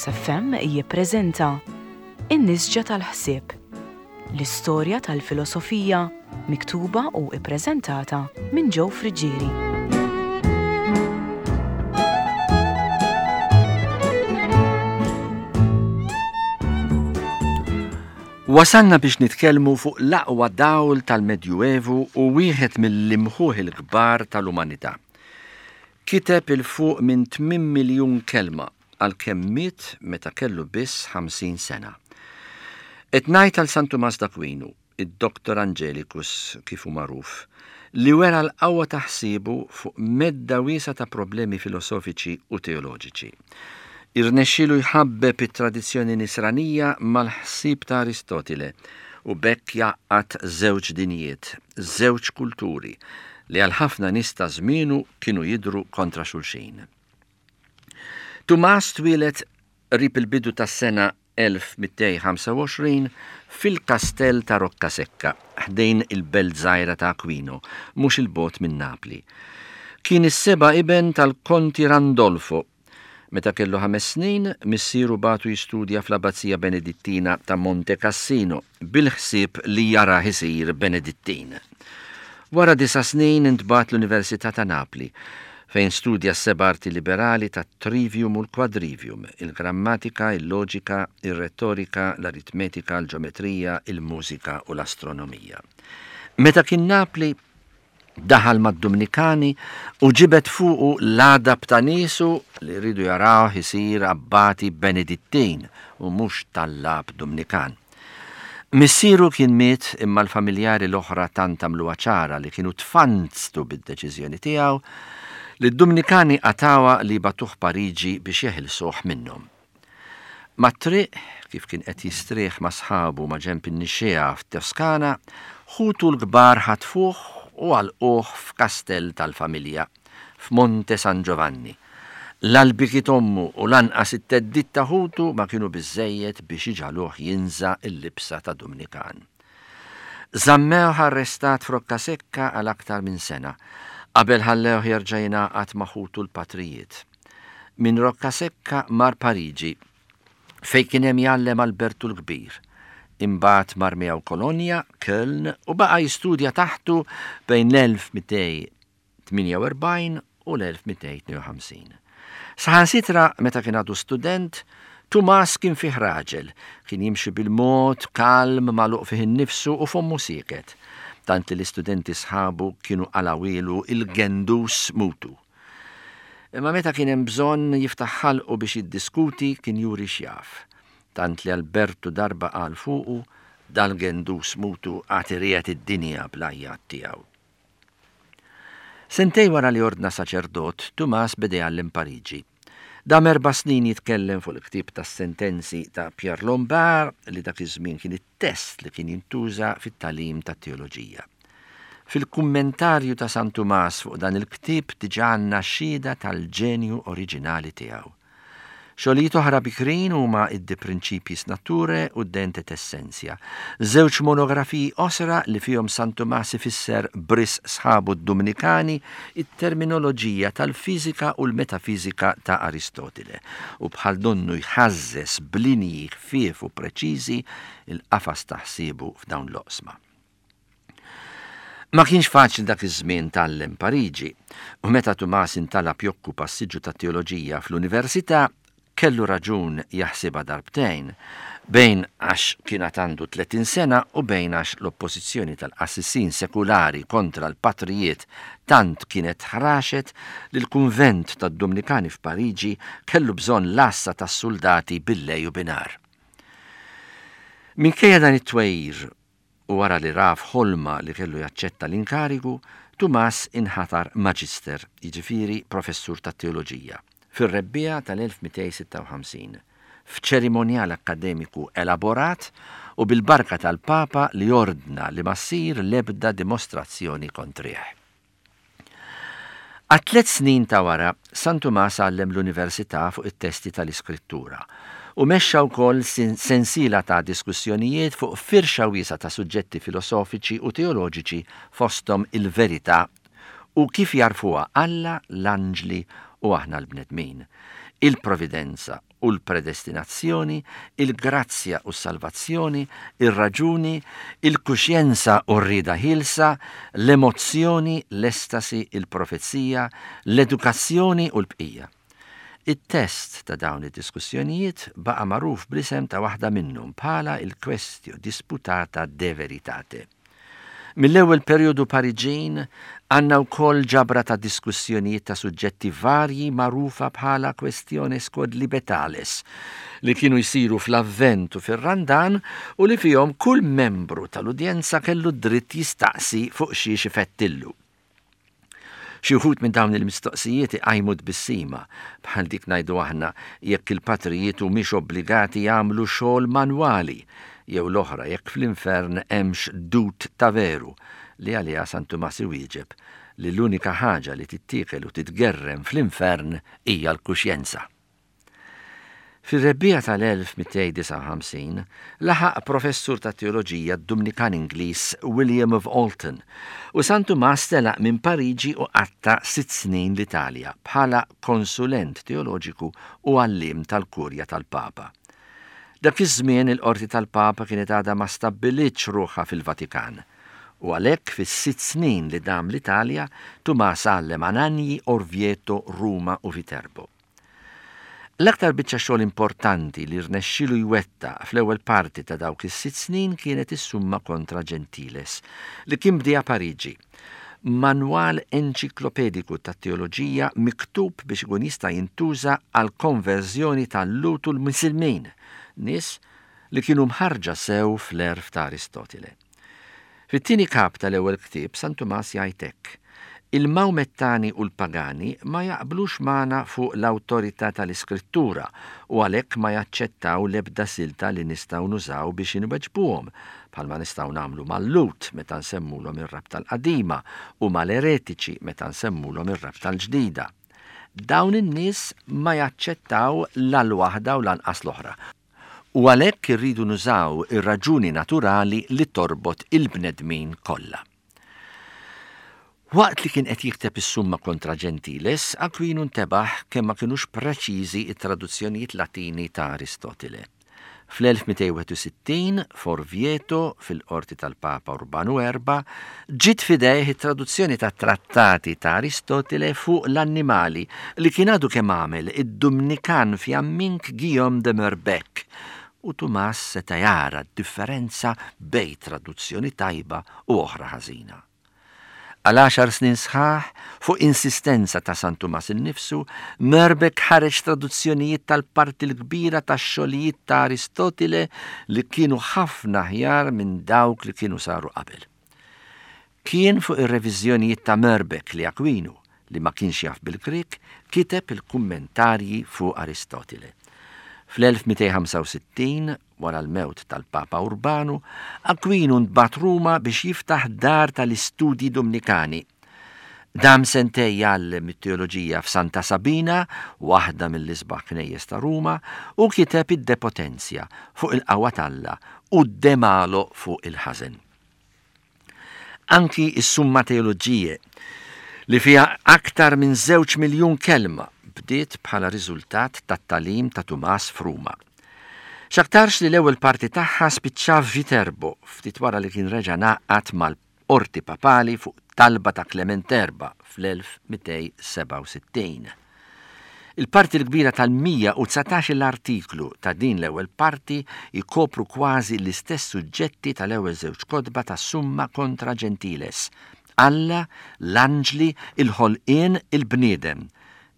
Veritas FM jippreżenta In-Nisġa tal-Ħsieb, l-istorja tal-filosofija miktuba u ppreżentata minn Joe Friggieri. Wasalna biex nitkellmu fuq l-aqwa dawl tal-Medjuevu u wieħed mill-imħuħ il-kbar tal-umanità. Kiteb 'il fuq minn 8 miljun kelma għalkemm miet meta kellu biss 50 sena. Qed ngħid għal San Tumas d'Aquinu, id-Doctor Angelicus kif hu magħruf, li wera l-qawwa ta' ħsiebu fuq medda wiesgħa ta' problemi filosofiċi u teoloġiċi. Irnexxielu jħabbeb it-tradizzjoni Nisranija mal-ħsieb ta' Aristotile u b'hekk jgħaqqad żewġ dinjiet, żewġ kulturi, li għal ħafna nies ta' żmienu kienu jidhru kontra xulxin. Tumas twieled qrib il-bidu tas-sena 1225 fil-kastell ta' Roccasecca, ħdejn il-belt żgħira ta' Aquino, mhux 'il bogħod minn Napli. Kien is-seba' iben tal-Konti Randolfo. Meta kellu ħames snin, missieru bagħtu jistudja fl-Abbazija Benedittina ta' Monte Cassino bil-ħsieb li jarah isir Benedittin. Wara disa' snin intbagħat l-Università ta' Napli, fejn studja s-seba' arti liberali tat-trivium u l-quadrivium, il-grammatika, il-loġika, ir-rettorika, l-aritmetika, l-ġometrija, il-mużika u l-astronomija. Meta kien Napli, Daħal mad-Dumnikani u ġibed fuqu l-għadab ta' niesu li riedu jarawh isir abbati Benedittin u mhux tallab Dumnikan. Missieru kien miet imma l-familjari l-oħra tant għamluha ċara li kienu tfanztu bid-deċiżjoni tiegħu li d-Dumnikani qatgħuha li jibagħtuh Pariġi biex jeħilsuh minnhom. Mat-triq, kif kien qed jistrieħ ma' sħabu maġenb in-nixxiegħa f'Toskana, ħutu l-kbar ħatfuh u għalquh f'kastell tal-familja, f'Monte San Giovanni. La l-biki t'ommu u lanqas it-theddid ta' ħutu ma kienu biżżejjed biex iġagħluh jinża' l-libsa ta' Dumnikan. Żammewh arrestat f'Roccasecca għal aktar minn sena, qabel ħallewh jerġa' jingħaqad ma' ħutu l-patrijiet. Minn Roccasecca mar Pariġi, fejn kien hemm jgħallem Albertu l-Kbir. Imbagħad mar miegħu Kolonja, Köln, u baqa' jistudja taħtu bejn l-1248 u l-1252. Saħansitra meta kien għadu student, Tumas kien fih raġel, kien jimxi bil-mod, kalm, magħluq fih innifsu u fommu sieket, tant li l-istudenti sħabu kienu qalgħuhielu il-gendus mutu. Imma meta kien hemm bżonn jiftaħ ħalqu biex jiddiskuti kien juri x'jaf. Tant li Albertu darba qal fuqu, Dal-gendus mutu għad iriegħed id-dinja bl-għajjat tiegħu. Sentejn wara li ordna saċerdot, Tumas beda jgħallem Pariġi. Dam erba' snin jitkellem fuq il-ktieb tas-sentenzi ta' Pierre Lombard li dak iż-żmien kien it-test li kien jintuża fit-tagħlim tat-teoloġija. Fil-kummentarju ta' San Tumas fuq dan il-ktieb diġà għandna xhieda tal-ġenju oriġinali tiegħu. Xogħlijiet oħra bikrin huma d-De Principiis Naturae u d-De Ente et Essentia, żewġ monografiji qosra li fihom San Tumas ifisser b'risq sħabu d-Dumnikani t-terminoloġija tal-fiżika u l-metafiżika ta' Aristotile u bħal donnu jħażżeż b'linji ħfief u preċiżi l-qafas ta' ħsiebu f'dawn l-oqsma. Ma kienx faċli dak iż-żmien tgħallem Pariġi, u meta Tumas intalab jokkupa s-siġġu tat-teoloġija fl-università, kellu raġun jaħsibha darbtejn, bejn għax kien għad għandu 30 sena u bejn għax l-oppożizzjoni tal-qassisin sekulari kontra l-patrijiet tant kienet ħraxet li l-kunvent tad-Dumnikani f'Pariġi kellu bżonn l-għassa tas-suldati billejl u binhar. Minkejja dan it-twegħir u wara li ra f'ħolma li kellu jaċċetta l-inkarigu, Tumas inħatar Magister, jiġifieri professur tat-teoloġija, fir-rebbiegħa tal-1256, f'ċerimonjal akkademiku elaborat u bil-barka tal-Papa li ordna li ma ssir l-ebda dimostrazzjoni kontrih. Għat-tliet snin ta' wara, San Tumas għallem l-università fuq it-testi tal-Iskrittura u mexxa wkoll sensiela ta' diskussjonijiet fuq firxa wiesgħa ta' suġġetti filosofiċi u teoloġiċi fosthom il-verità u kif jagħrfuha Alla, l-anġli u aħna l-bnedmin, il-providenza u l-predestinazzjoni, il-grazzja u s-salvazzjoni, ir-raġuni, il-kuxjenza u r-rieda ħielsa, l-emozzjoni, l-estasi, il-profezija, l-edukazzjoni u l-bqija. It-test ta' dawn id-diskussjonijiet baqa' magħruf bl-isem ta' waħda minnhom bħala il-Questio Disputata de Veritate. Mill-ewwel perjodu Pariġin għandna wkoll ġabra ta' diskussjonijiet ta' suġġetti varji magħrufa bħala Questiones Quodlibetales li kienu jsiru fl-Avvent u fir-Randan u li fihom kull membru tal-udjenza kellu d-dritt jistaqsi fuq xiex ifettillu. Xi wħud minn dawn il-mistoqsijiet iqajmu tbissima, bħal dik ngħidu aħna jekk il-patrijiet humiex obbligati jagħmlu xogħol manwali, jew l-oħra jekk fl-infern hemmx dud ta' veru, li għaliha San Tumas iwieġeb li l-unika ħaġa li tittiekel u titgerrem fl-infern hija l-kuxjenza. Fir-rebbiegħa tal-1259, laħaq professur tat-teoloġija d-Dumnikan Ingliż William of Alton, u San Tumas telaq minn Pariġi u qatta' sitt snin l-Italja bħala konsulent teoloġiku u għalliem tal-Kurja tal-Papa. Dak iż-żmien il-qorti tal-Papa kienet għadha ma stabbilitx ruħha fil-Vatikan, u għalhekk fis-sitt snin li dam l-Italja, Tumas għallem Anagni, Orvieto, Ruma u Viterbo. L-aktar biċċa xogħol importanti li rnexxielu jwettaq fl-ewwel parti ta' dawk is-sitt snin kienet is-Summa kontra Gentiles, li kien bdieha Pariġi. Manwal enċiklopediku tat-teoloġija miktub biex ikun jista' jintuża għall-konverżjoni tal-Lhud u l-Misilmin, nies li kienu mħarrġa sew fl-għerf ta' Aristotile. Fit-tieni kap tal-ewwel ktieb, San Tumas jgħid hekk, Il-Mawmettani u l-pagani ma jaqblux magħna fuq l-awtorità tal-Iskrittura u għalhekk ma jaċċettaw l-ebda silta li nistgħu nużaw biex inweġbuhom, bħalma nistgħu nagħmlu mal-Lhud meta nsemmulhom ir-Rabta l-Qadima u mal-eretiċi meta nsemmulhom ir-Rabta l-Ġdida. Dawn in-nies ma jaċċettaw la l-waħda u lanqas l-oħra. U għalhekk irridu nużaw ir-raġuni naturali li torbot il-bnedmin kollha. Waqt li kien qed jikteb is-Summa kontra Gentiles, Aquinu ntebaħ kemm ma kinux preċiżi t-traduzzjonijiet Latini ta' Aristotile. Fl-1261, f'Orvieto, fil-qorti tal-Papa Urbanu Erbgħa, ġiet f'idejh it-traduzzjoni tat-trattati ta' Aristotile fuq l-annimali li kien għadu kemm għamel id-Dumnikan Fjammink Guillaume de Merbeck, u Tumas seta' jara d-differenza bejn traduzzjoni tajba u oħra ħażina. Għal għaxar snin sħaħ, fuq insistenza ta' San Tumas innifsu, Merbeck ħareġ traduzzjonijiet tal-parti l-kbira tax-xogħlijiet ta' Aristotile li kienu ħafna aħjar minn dawk li kienu saru qabel. Kien fuq ir-reviżjonijiet ta' Merbeck li Aquinu, li ma kienx jaf bil-Grieg, kiteb il-kummentarji fuq Aristotile. Fl-1265, Wara l-mewt tal-Papa Urbanu, Aquinu ntbagħat Ruma biex jiftaħ dar tal-istudji Dumnikani. Dam sentej jgħallem it-teoloġija f'Santa Sabina, waħda mill-isbaħ knejjes ta' Ruma, u kiteb id-De Potentia fuq il-qawwa t'Alla u d-De Malo fuq il-ħażen. Anki s-Summa Theologiae, li fiha aktar minn żewġ miljun kelma, bdiet bħala riżultat tat-tagħlim ta' Tumas f'Ruma. X'aktarx li l-ewwel parti tagħha spiċċa f'Viterbo ftit wara li kien reġa' ngħaqad mal-qorti papali fuq talba ta' Klement Erba' fl-1267. Il-parti l-kbira tal-119-il artiklu ta' din l-ewwel parti jkopru kważi l-istess suġġetti tal-ewwel żewġ kotba tas-Summa Contra Gentiles, Alla, l-anġli, il-ħolqien, il-bniedem.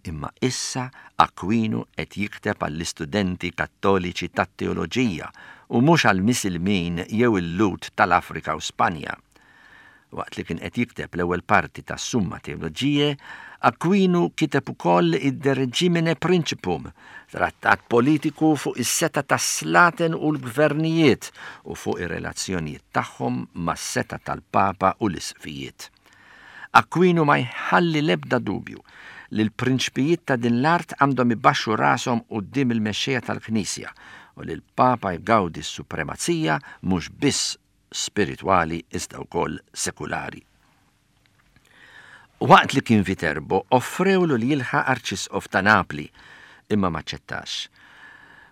Imma issa Aquinu qed jikteb għall-istudenti Kattoliċi tat-teoloġija u mhux għall-Misilmin jew il-Lhud tal-Afrika u Spanja. Waqt li kien qed jikteb l-ewwel parti tas-Summa Theologiae, Aquinu kiteb ukoll id-De Regimine Principum, trattat politiku fuq is-setgħa tas-slaten u l-gvernijiet u fuq ir-relazzjonijiet tagħhom mas-setgħa tal-Papa u l-isqfijiet. Aquinu ma jħalli l-ebda dubju li l-prinċpijiet ta' din l-art għandhom ibaxxu rashom quddiem il-mexxejja tal-Knisja u li l-Papa jgawdi s-supremazija mhux biss spiritwali iżda wkoll sekulari. Waqt li kien Viterbo offrewlu li jilħaq Arċisqof ta' Napli, imma m'aċċettax.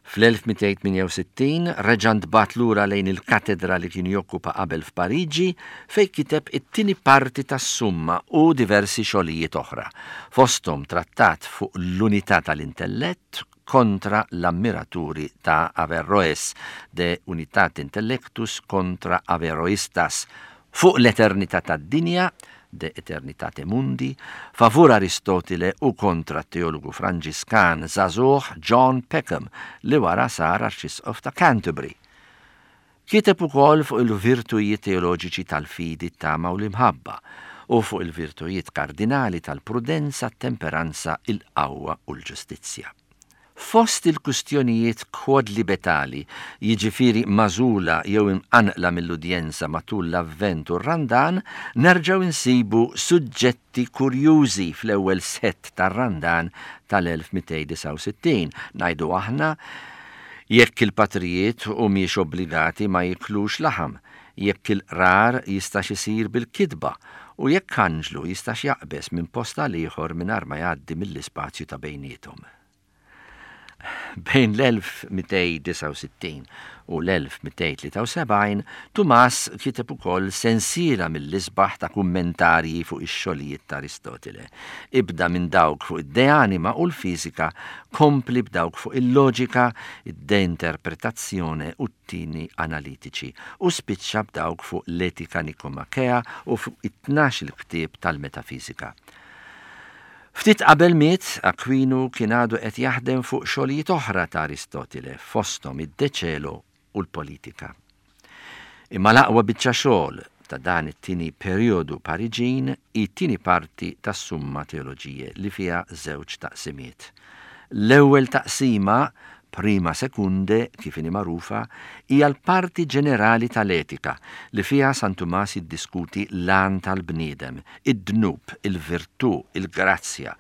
Fl-1268 reġa' ntbagħat lura lejn il-katedra li kien jokkupa qabel f'Pariġi fejn kiteb it-tieni parti tas-Summa u diversi xogħlijiet oħra, fosthom trattat fuq l-unità tal-intellett kontra l-ammiraturi ta' Averroes, De Unitate Intellectus contra Averroistas, fuq l-eternità tad-dinja, De Aeternitate Mundi, favur Aristotile u kontra t-teologu Franġiskan żagħżugħ John Peckham li wara sar Arċisqof ta' Canterbury. Kiteb ukoll fuq il-virtujiet teoloġiċi tal-fidi, t-tama u l-imħabba, u fuq il-virtujiet kardinali tal-prudenza, t-temperanza, il-qawwa u l-ġustizzja. Fost il-kwistjonijiet quodlibetali, jiġifieri magħżula jew imqanqla mill-udjenza matul l-Avvent u r-Randan, nerġgħu nsibu suġġetti kurjużi fl-ewwel sett tar-Randan tal-1269, ngħidu aħna, jekk il-patrijiet humiex obbligati ma jiklux laħam, jekk il-qrar jistax isir bil-kitba, u jekk anġlu jistax jaqbeż minn post għal ieħor mingħajr ma jgħaddi mill-ispazju ta' bejniethom. Bejn l-1269 u l-1273, Tumas kiteb ukoll sensiela mill-isbaħ ta' kummentarji fuq ix-xogħlijiet ta' Aristotile. Ibda minn dawk fuq id-De Anima u l-fiżika, kompli b'dawk fuq il-loġika, id-De Interpretazione u t-tieni analitiċi, u spiċċa b'dawk fuq l-Etika Nikomakea u fuq it-tnax-il ktieb tal-metafiżika. Ftit qabel miet, Aquinu kien għadu qed jaħdem fuq xogħlijiet oħra ta' Aristotile, fosthom id-De Cielo u l-Politika. Imma l-aqwa biċċa xogħol ta' dan it-tieni perijodu Pariġin hi t-tieni parti tas-Summa Theologiae li fiha żewġ taqsimiet. L-ewwel taqsima, Prima Secundae, kif inhi magħrufa, hija l-parti ġenerali tal-etika li fiha San Tumas jiddiskuti l-għan tal-bniedem, id-dnub, il-virtù, il-grazzja,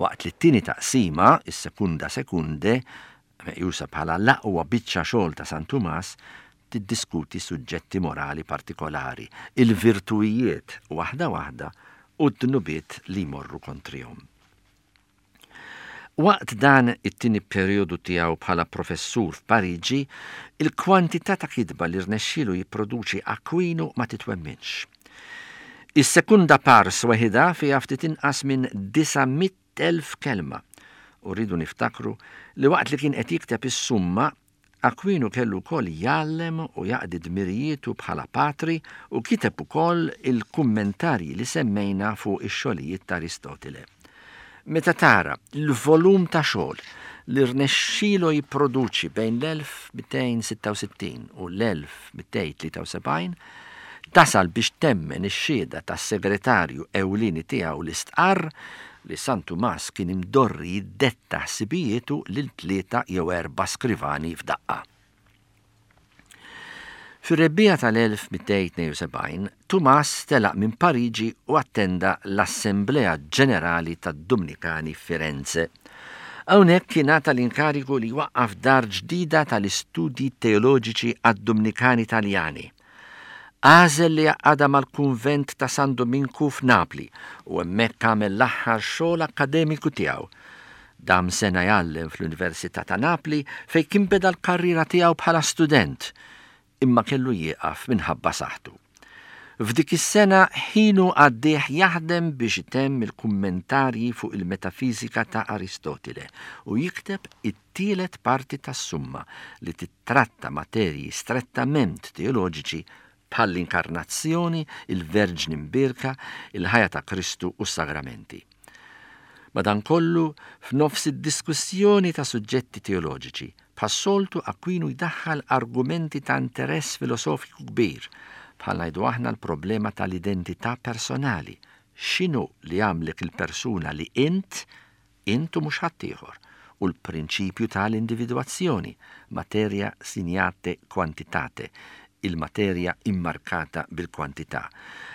waqt li t-tieni taqsima, is-Secunda Secundae, meqjusa bħala l-aqwa biċċa xogħol ta' San Tumas, tiddiskuti suġġetti morali partikolari, il-virtuwijiet waħda waħda u d-dnubiet li jmorru kontrihom. Waqt dan it-tieni perijodu tiegħu bħala professur f'Pariġi, il-kwantità ta' kitba li rnexxielu jipproduċi Aquinu ma titwemminx. Is-Secunda Pars weħidha fiha ftit inqas minn 900,000 kelma u rridu niftakru li waqt li kien qed jikteb is-Summa, Aquinu kellu wkoll jgħallem u jaqdi dmirijietu bħala patri u kiteb ukoll il-kummentarji li semmejna fuq ix-xogħlijiet ta' Aristotile. Meta tara l-volum ta' xogħol li rnexxielu jipproduċi bejn l-1266 u l-1273, tasal biex temmen ix-xhieda tas-segretarju ewlieni tiegħu li stqarr li San Tumas kien imdorri jiddetta ħsibijietu lil tlieta jew erbgħa skrivani f'daqqa. Fir-rebbiegħa tal-1272, Tumas telaq minn Pariġi u attenda l-Assemblea Ġenerali tad-Dumnikani f'Firenze. Hawnhekk ingħata l-inkarigu li jwaqqaf dar ġdida tal-istudji teoloġiċi għad-Dumnikani Taljani. Għażel li jgħaqqadha mal-kunvent ta' San Duminku f'Napli u hemmhekk għamel l-aħħar xogħol akkademiku tiegħu. Dam sena jgħallem fl-Università ta' Napli fejn kien beda l-karriera tiegħu bħala student, imma kellu jieqaf minħabba saħħtu. F'dik is-sena ħinu għaddieh jaħdem biex itemm il-kummentarji fuq il-metafiżika ta' Aristotile u jikteb it-tielet parti tas-Summa li tittratta materji strettament teoloġiċi bħall-Inkarnazzjoni, il-Verġni Mbierka, il-ħajja ta' Kristu u s-sagramenti. Madankollu, f'nofs id-diskussjoni ta' suġġetti teoloġiċi, bħas-soltu Aquinu jdaħħal argumenti ta' interess filosofiku kbir, bħal ngħidu aħna l-problema tal-identità personali, x'inhu li jagħmlek il-persuna li int int u mhux ħaddieħor, u l-prinċipju ta' l-individwazzjoni, materia signate quantitate, il-materja immarkata bil-kwantità.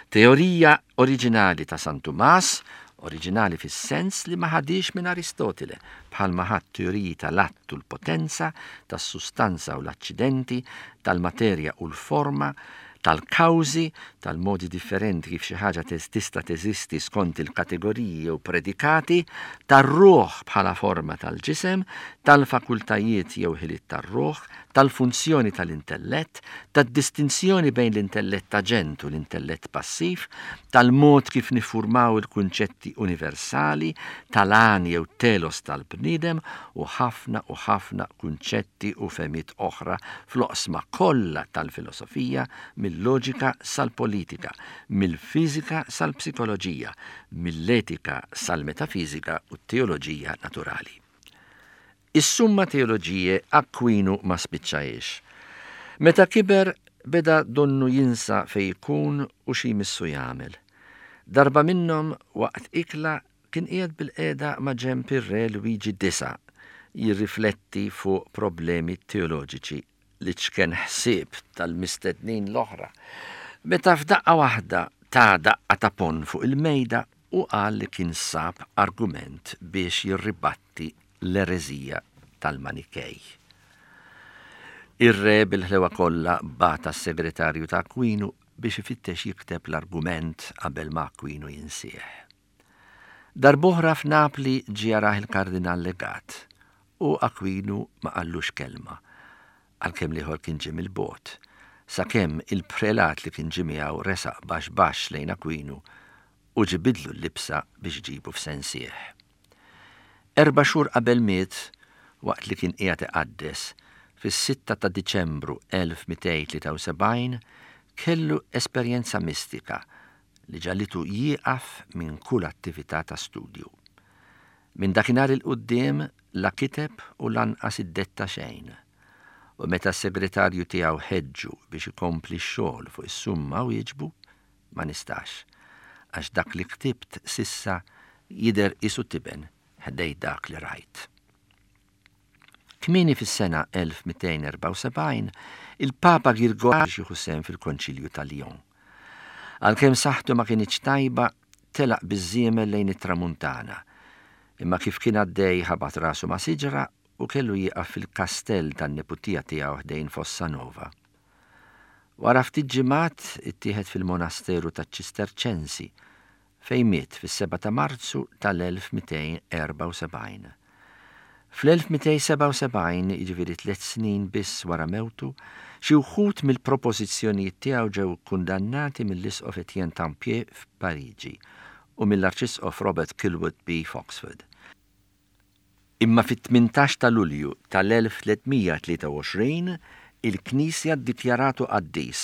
Teorija oriġinali ta' San Tumas, oriġinali fis-sens li ma ħadhiex minn Aristotile, bħalma ħa t-teoriji ta' l-att u l-potenza, tas-sustanza u l-aċċidenti, tal-materja u l-forma, tal-kawżi, tal-modi differenti kif xi ħaġa tista' teżisti skont il-kategoriji jew predikati, tar-ruħ bħala forma tal-ġisem, tal-fakultajiet jew ħiliet tar-ruħ, tal-funzjoni tal-intellett, tad-distinzjoni bejn l-intellett aġent u l-intellett passiv, tal-mod kif niffurmaw il-kunċetti universali, tal-għan jew telos tal-bniedem u ħafna u ħafna kunċetti u fehmiet oħra fl-oqsma kollha tal-filosofija, mil-loġika sal-politika, mill-fiżika sal-psikoloġija, mill-etika sal-metafiżika u t-teoloġija naturali. Is-Summa Theologiae Aquinu ma spiċċahiex. Meta kiber beda donnu jinsa fejn ikun u xi jmissu jagħmel. Darba minnhom waqt ikla kien qiegħed bilqiegħda ma' ġenb ir-Re Lwiġi Disa' jirrifletti fuq problemi teoloġiċi l-iċken ħsieb tal-mistednin l-oħra, meta f'daqqa waħda ta daqqa ta' ponn fuq il-mejda u qal li kien sab argument biex jirribatti l-ereżija tal-Manikej. Ir-re bil-ħlewa kollha bagħat għas-segretarju ta' Aquinu biex ifittex jikteb l-argument qabel ma Aquinu jinsieh. Darb'oħra f'Napli ġie jarah il-Kardinal Legat u Aquinu ma qallux kelma, għalkemm l-ieħor kien ġie mill-bogħod, sakemm il-prelat li kien ġie miegħu resaq baxx baxx lejn Aquinu u ġibidlu l-libsa biex ġibu f'sensieh. Erba' xhur qabel miet, waqt li kien qiegħed iqaddes, fis-sitta ta' Diċembru 1273, kellu esperjenza mistika li ġagħlitu jieqaf minn kull attività ta' studju. Minn dakinhar 'il quddiem la kiteb u lanqas iddetta xejn, u meta s-segretarju tiegħu ħeġġu biex ikompli x-xogħol fuq is-Summa wieġbu, Ma nistax, għax dak li ktibt s'issa jidher qisu tiben ħdejn dak li rajt. Kmieni fis-sena 1274, il-Papa Girgor biex jieħu sehem fil-Konċilju ta' Lyon. Għalkemm saħħtu ma kinitx tajba, telaq biż-żiemel lejn it-Tramuntana. Imma kif kien għaddej ħabat rasu ma' siġra u kellu jieqaf fil-kastell tan-neputija tiegħu ħdejn Fossanova. Wara ftit ġimgħat ittieħed fil-monasteru taċ-Ċisterċensi fejn miet fis-7 ta' Marzu tal-1274. Fl-1277, jiġifieri tliet snin biss wara mewtu, xi wħud mill-propożizzjonijiet tiegħu ġew ikkundannati mill-Isqof Etienne Tempier f'Pariġi u mill-Arċisqof Robert Kilwardby f'Oxford. Imma fit-18 ta' Lulju tal-1323 il-Knisja ddikjaratu qaddis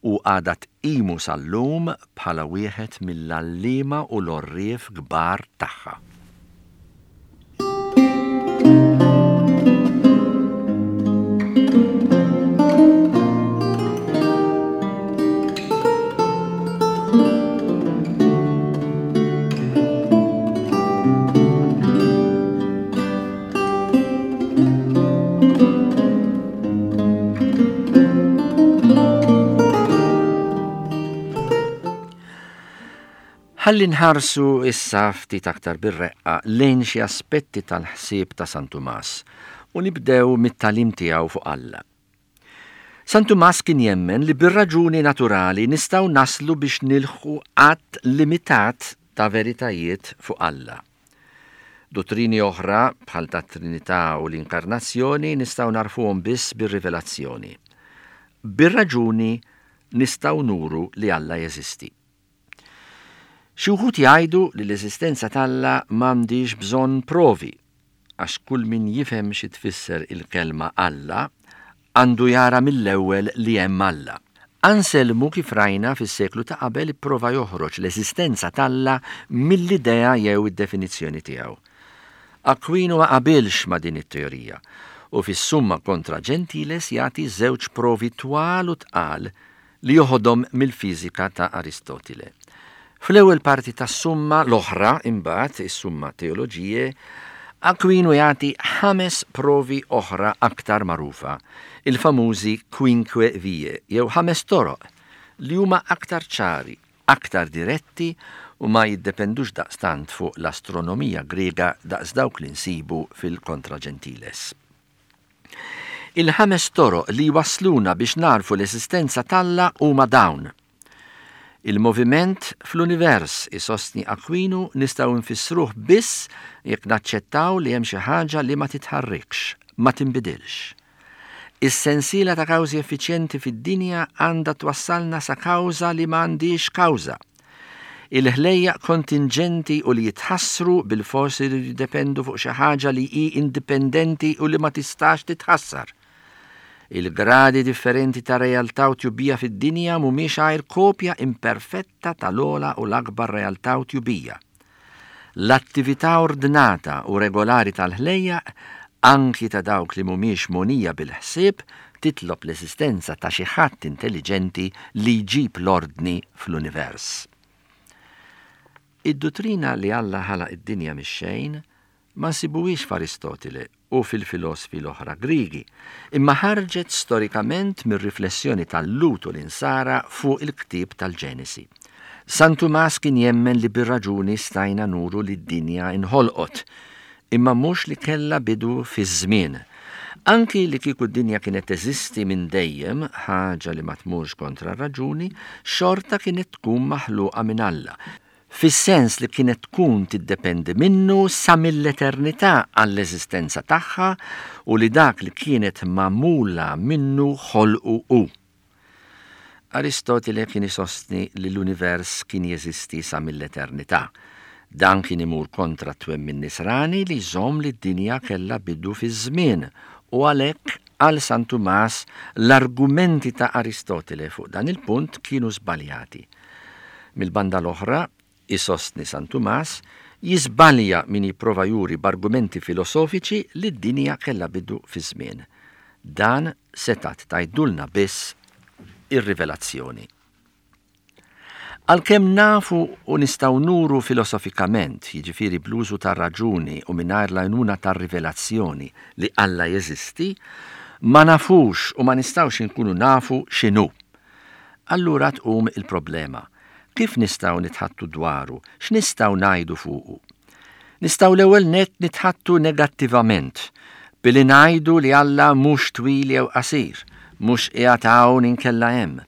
u għadha tqimu sal-lum bħala wieħed mill-għalliema u l-għorrief kbar tagħha. Ħalli nħarsu issa ftit aktar bir-reqqa lejn xi aspetti tal-ħsieb ta' San Tumas u nibdew mit-tagħlim tiegħu fuq Alla. San Tumas kien jemmen li bir-raġuni naturali nistgħu naslu biex nilħqu għadd limitat ta' veritajiet fuq Alla. Duttrini oħra, bħal tat-Trinità u l-Inkarnazzjoni, nistgħu nagħrfuhom biss bir-rivelazzjoni. Bir-raġuni nistgħu nuru li Alla jeżisti. Xi wħud jgħidu li l-eżistenza t'Alla m'għandhiex bżonn provi, għax kull min jifhem xi tfisser il-kelma Alla għandu jara mill-ewwel li hemm Alla. Anselmu, kif rajna fis-seklu ta' qabel, ipprova joħroġ l-eżistenza t'Alla mill-idea jew id-definizzjoni tiegħu. Aquino ma qabilx ma' din it-teorija u fis-Summa Contra Gentiles jagħti żewġ provi twal u tqal li joħodhom mill-fiżika ta' Aristotile. Fl-ewwel parti tas-Summa l-oħra, imbagħad, is-Summa Theologiae, Aquino jagħti ħames provi oħra aktar magħrufa, il-famużi Quinque Vie, jew ħames toroq, li huma aktar ċari, aktar diretti u ma jiddependux daqstant fuq l-astronomija Griega daqs dawk li nsibu fil-Contra Gentiles. Il-ħames toroq li jwassluna biex nagħrfu l-eżistenza t'Alla huma dawn. Il-moviment fl-univers, isostni Akwinu, nistgħu nfissruh biss jekk naċċettaw li hemm xi ħaġa li ma titħarrikx, ma tinbidilx. Is-sensiela ta' kawżi effiċjenti fid-dinja għandha twassalna sa kawża li ma għandhiex kawża. Il-ħlejjaq kontinġenti u li jitħassru bilfors iridu jiddependu fuq xi ħaġa li hi indipendenti u li ma tistax titħassar. Il-gradi differenti ta' realtà u tjubija fid-dinja mhumiex għajr kopja imperfetta tal-ogħla u l-akbar realtà u tjubija. L-attività ordnata u regolari tal-ħlejjaq, anki ta' dawk li mhumiex mogħnija bil-ħsieb, titlob l-eżistenza ta' xi ħadd intelliġenti li jġib l-ordni fl-univers. Id-duttrina li Alla ħalaq id-dinja mix-xejn ma nsibuhiex f'Aristotile u fil-filosfi l-oħra Griegi, imma ħarġet storikament mir-riflessjoni tal-Lhud u l-Insara fuq il-ktieb tal-Ġenesi. San Tumas kien jemmen li bir-raġuni stajna nuru li d-dinja inħolqot, imma mhux li kellha bidu fiż-żmien. Anki li kieku d-dinja kienet teżisti minn dejjem, ħaġa li ma tmurx kontra r-raġuni, xorta kienet tkun maħluqa minn Alla, fis-sens li kienet tkun tiddependi minnu sa mill-eternità għall-eżistenza tagħha u li dak li kienet magħmula minnu ħolqu hu. Aristotile kien isostni li l-univers kien jeżisti sa mill-eternità. Dan kien imur kontra t-twemmin Nisrani li jżomm li d-dinja kellha bidu fiż-żmien u għalhekk għal San Tumas l-argumenti ta' Aristotile fuq dan il-punt kienu żbaljati. Mill-banda l-oħra, isostni San Tumas, jiżbalja min jipprova juri b'argumenti filosofiċi li d-dinja kellha bidu fiż-żmien. Dan setgħet tgħidulna biss ir-rivelazzjoni. Għalkemm nafu u nistgħu nuru filosofikament, jiġifieri bl-użu tar-raġuni u mingħajr l-għajnuna tar-rivelazzjoni, li Alla jeżisti, ma nafux u ma nistgħux inkunu nafu x'inhu. Allura tqum il-problema, kif nistgħu nitħaddtu dwaru, x'nistgħu ngħidu fuqu? Nistgħu l-ewwel nett nitħaddtu negattivament, billi ngħidu li Alla mhux twil jew qasir, mhux qiegħed hawn inkella hemm,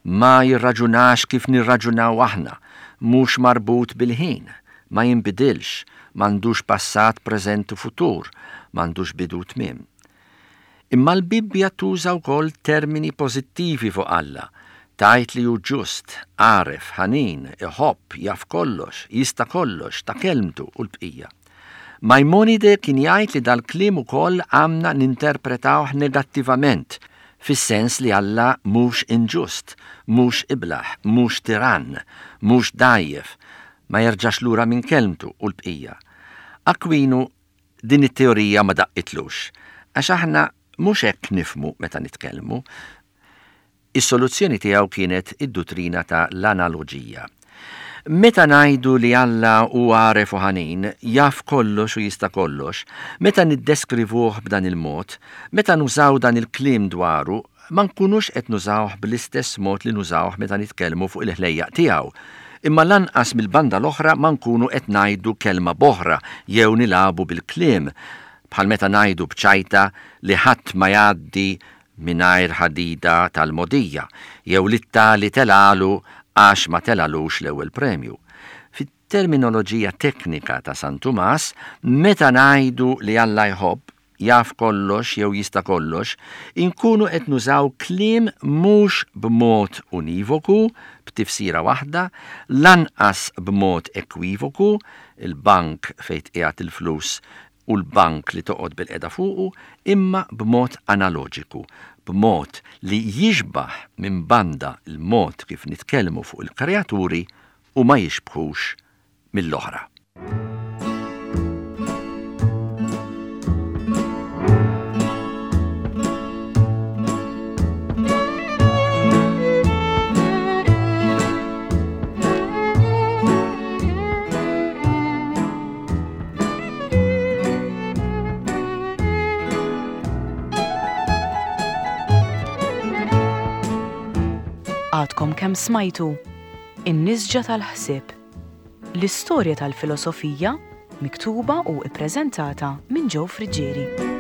ma jirraġunax kif nirraġunaw aħna, mhux marbut bil-ħin, ma jinbidilx, m'għandux passat, preżent u futur, m'għandux bidu u tmiem. Imma l-Bibbja tuża wkoll termini pożittivi fuq Alla. Tgħid li hu ġust, għaref, ħanin, iħobb, jaf kollox, jista' kollox, ta' kelmtu, u l-bqija. Majmonide kien jgħid li dal-kliem ukoll għandna ninterpretawh negattivament, fis-sens li Alla mhux inġust, mhux iblah, mhux tirann, mhux dgħajjef, ma jerġax lura minn kelmtu, u l-bqija. Akwinu Din it-teorija ma daqqitlux, għax aħna mhux hekk nifhmu meta nitkellmu. Is-soluzzjoni tiegħu kienet id-duttrina ta' l-analoġija. Meta ngħidu li Alla hu għaref u ħanin, jaf kollox u jista' kollox, meta niddeskrivuh b'dan il-mod, meta nużaw dan il-kliem dwaru, ma nkunux qed nużawh bl-istess mod li nużawh meta nitkellmu fuq il-ħlejjaq tiegħu, imma lanqas mill-banda l-oħra ma nkunu qed ngħidu kelma b'oħra jew nilagħbu bil-kliem, bħal meta ngħidu b'ċajta li ħadd ma jgħaddi mingħajr ħadida tal-mogħdija jew li t-tali telgħalu għax ma telgħalux l-ewwel premju. Fit-terminoloġija teknika ta' San Tumas, meta ngħidu li Alla jħobb, jaf kollox jew jista' kollox, inkunu qed nużaw kliem mhux b'mod univoku, b'tifsira waħda, lanqas b'mod ekwivoku, il-bank fejn tqiegħed il-flus u l-bank li toqgħod bilqiegħda fuqu, imma b'mod analoġiku, b'mod li jixbah minn banda l-mod kif nitkellmu fuq il-kreaturi u ma jixbħux mill-oħra. Għadkom kemm smajtu In-Nisġa tal-Ħsieb. L-istorja tal-filosofija miktuba u ippreżentata minn Joe Friggieri.